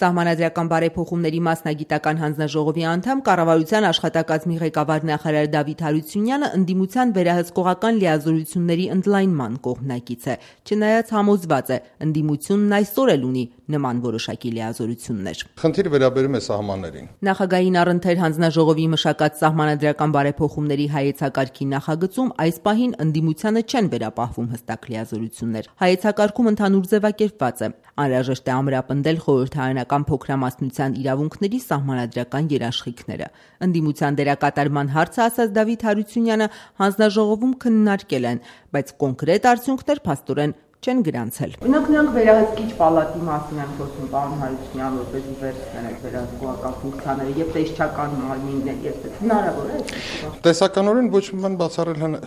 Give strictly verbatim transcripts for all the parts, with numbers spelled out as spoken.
Սահմանադրական բարեփոխումների մասնագիտական հանձնաժողովի անդամ, կառավարության աշխատակազմի ղեկավար նախարար Դավիթ Հարությունյանը ընդդիմության վերահսկողական լիազորությունների ընդլայնման կողմնակից է, չնայած համոզված է, ընդդիմությունն այսօր էլ ունի նման որոշակի լիազորություններ։ Խնդիրը վերաբերում է սահմաններին։ Նախագահին առընթեր հանձնաժողովի մշակած սահմանադրական բարեփոխումների հայեցակարգի նախագծում այս պահին ընդդիմությանը չեն վերապահվում հստակ լիազորություններ։ Հայեցակարգում ընդհանուր ձևակերպված է. անհրաժեշտ է ամրապնդել խորհրդարանական փոքրամասնության իրավունքների սահմանադրական երաշխիքները։ Ընդդիմության դերակատարման հարցը ասաց Դավիթ Հարությունյանը հանձնաժողովում քննարկել են, բայց կոնկրետ արդյունքներ փաստորեն չեն գրանցել։ Օրինակ նրանք վերահսկիչ պալատի մասին են խոսում, պարոն Հարությունյան, որպեսզի վերցնեն այդ վերահսկողական ֆունկցիաները եւ տեսչական մարմիններ, եւ հնարավոր է։ Տեսականորեն ոչ մի բան բացառել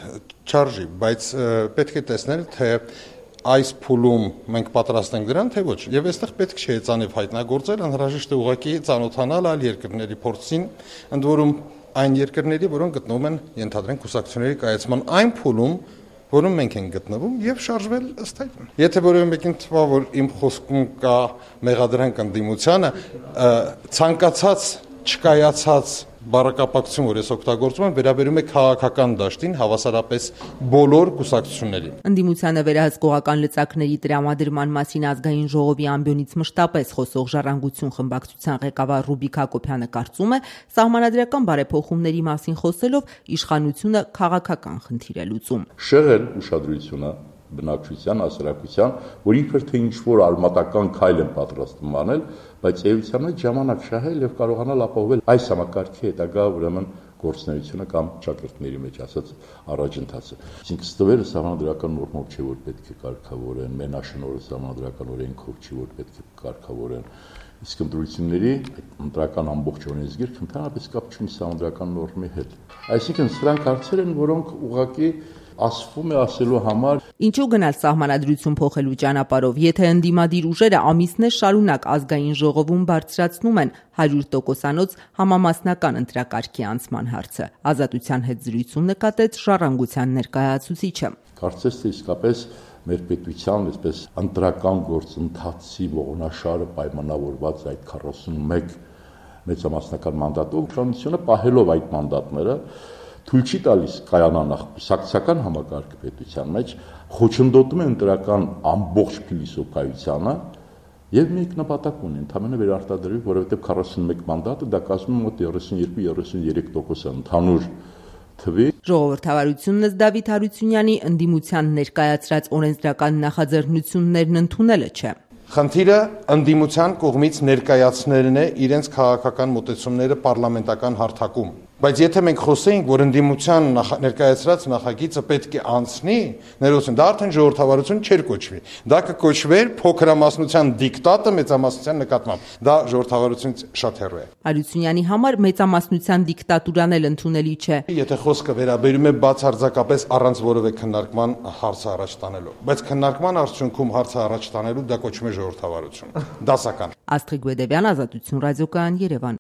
չարժի, բայց պետք է տեսնել, թե այս փուլում մենք պատրաստ ենք դրան, թե ոչ։ Եվ այստեղ պետք չէ ծանիվ հայտնագործել, անհրաժեշտ է ուղղակի ծանոթանալ այլ երկրների փորձին, ընդ որում այն երկրների, որոնք գտնվում են ենթադրենք կուսակցությունների կայացման այն փուլում, որում մենք ենք գտնվում եւ շարժվել ըստ այդ։ Եթե որևէ մեկին թվա, որ իմ խոսքում կա մեղադրանք ընդդիմությանը, ցանկացած չկայացած բառակապակցություն, որ ես օգտագործում եմ, վերաբերում է քաղաքական դաշտին, հավասարապես բոլոր կուսակցություններին։ Ընդդիմությանը վերահսկողական լծակների տրամադրման մասին ազգային ժողովի ամբիոնից մշտապես խոսող Ժառանգություն խմբակցության ղեկավար Ռուբիկ Հակոբյանը կարծում է, սահմանադրական բարեփոխումների մասին խոսելով իշխանությունը քաղաքական խնդիր է լուծում։ Շեղել ուշադրությունը բնակչության, հասարակության, որ իբր թե ինչ-որ արմատական քայլ են պատրաստվում անել, բայց էության հետ ժամանակ շահել եւ կարողանալ ապահովել այս համակարգի հետագա ուրեմն գործունեությունը կամ ճակերտների մեջ ասած առաջընթացը։ Այսինքն ստվերը սահմանադրական նորմով չէ, որ պետք է կարգավորեն, մենաշնորհը սահմանադրական օրենքով չի, որ պետք է կարգավորեն։ Իսկ ընտրությունների ընտրական ամբողջ օրենսգիրքը ընդհանրապես կապ չունի սահմանադրական նորմի հետ։ Այսինքն սրանք հարցեր են, որոնք ուղղակի ասվում է ասելու համար։ Ինչու գնալ սահմանադրություն փոխելու ճանապարհով, եթե ընդդիմադիր ուժերը ամիսներ շարունակ ազգային ժողովում բարձրացնում են հարյուր տոկոսանոց համամասնական ընտրակարգի անցման հարցը։ Ազատության հետ զրույցում նկատեց Ժառանգության ներկայացուցիչը։ Կարծես թե իսկապես մեր պետության այսպես ընտրական գործընթացի ողնաշարը պայմանավորված այդ քառասունմեկ մեծամասնական մանդատով, իշխանությունը պահելով այդ մանդատները թույլ չի տալիս կայանանախ կուսակցական համակարգը պետության մեջ, խոչընդոտում է ընտրական ամբողջ փիլիսոփայությանը եւ մեկ նպատակ ունի, ընդհանրապես վերարտադրվի, որովհետեւ քառասունմեկ մանդատը դա կազմում մոտ երեսունյոթ երեսունյուրի տոկոս ընդհանուր թվի։ Ժողովրդավարությունն ըստ Դավիթ Հարությունյանի ընդդիմության ներկայացրած օրենսդրական նախաձեռնություններն ընդունելը չէ։ Խնդիրը ընդդիմության կողմից ներկայացնելն է իրենց քաղաքական մոտեցումները պարլամենտական հարթակում։ Բայց եթե մենք խոսեինք, որ ընդդիմության ներկայացրած նախագիծը պետք է անցնի, ներողություն, դա արդեն ժողովրդավարություն չէր կոչվի։ Դա կկոչվեր փոքրամասնության դիկտատը մեծամասնության նկատմամբ։ Դա ժողովրդավարությունից շատ հեռու է։ Հարությունյանի համար մեծամասնության դիկտատուրան էլ ընդունելի չէ։ Եթե խոսքը վերաբերում է բացարձակապես առանց որևէ քննարկման հարցը առաջ տանելու, բայց քննարկման արդյունքում հարցը առաջ տանելու դա կոչվում է ժողովրդավարություն։ Դասական։ Աստղիկ Գուեդևյան, Ազատություն ռադիոկայան, Երևան։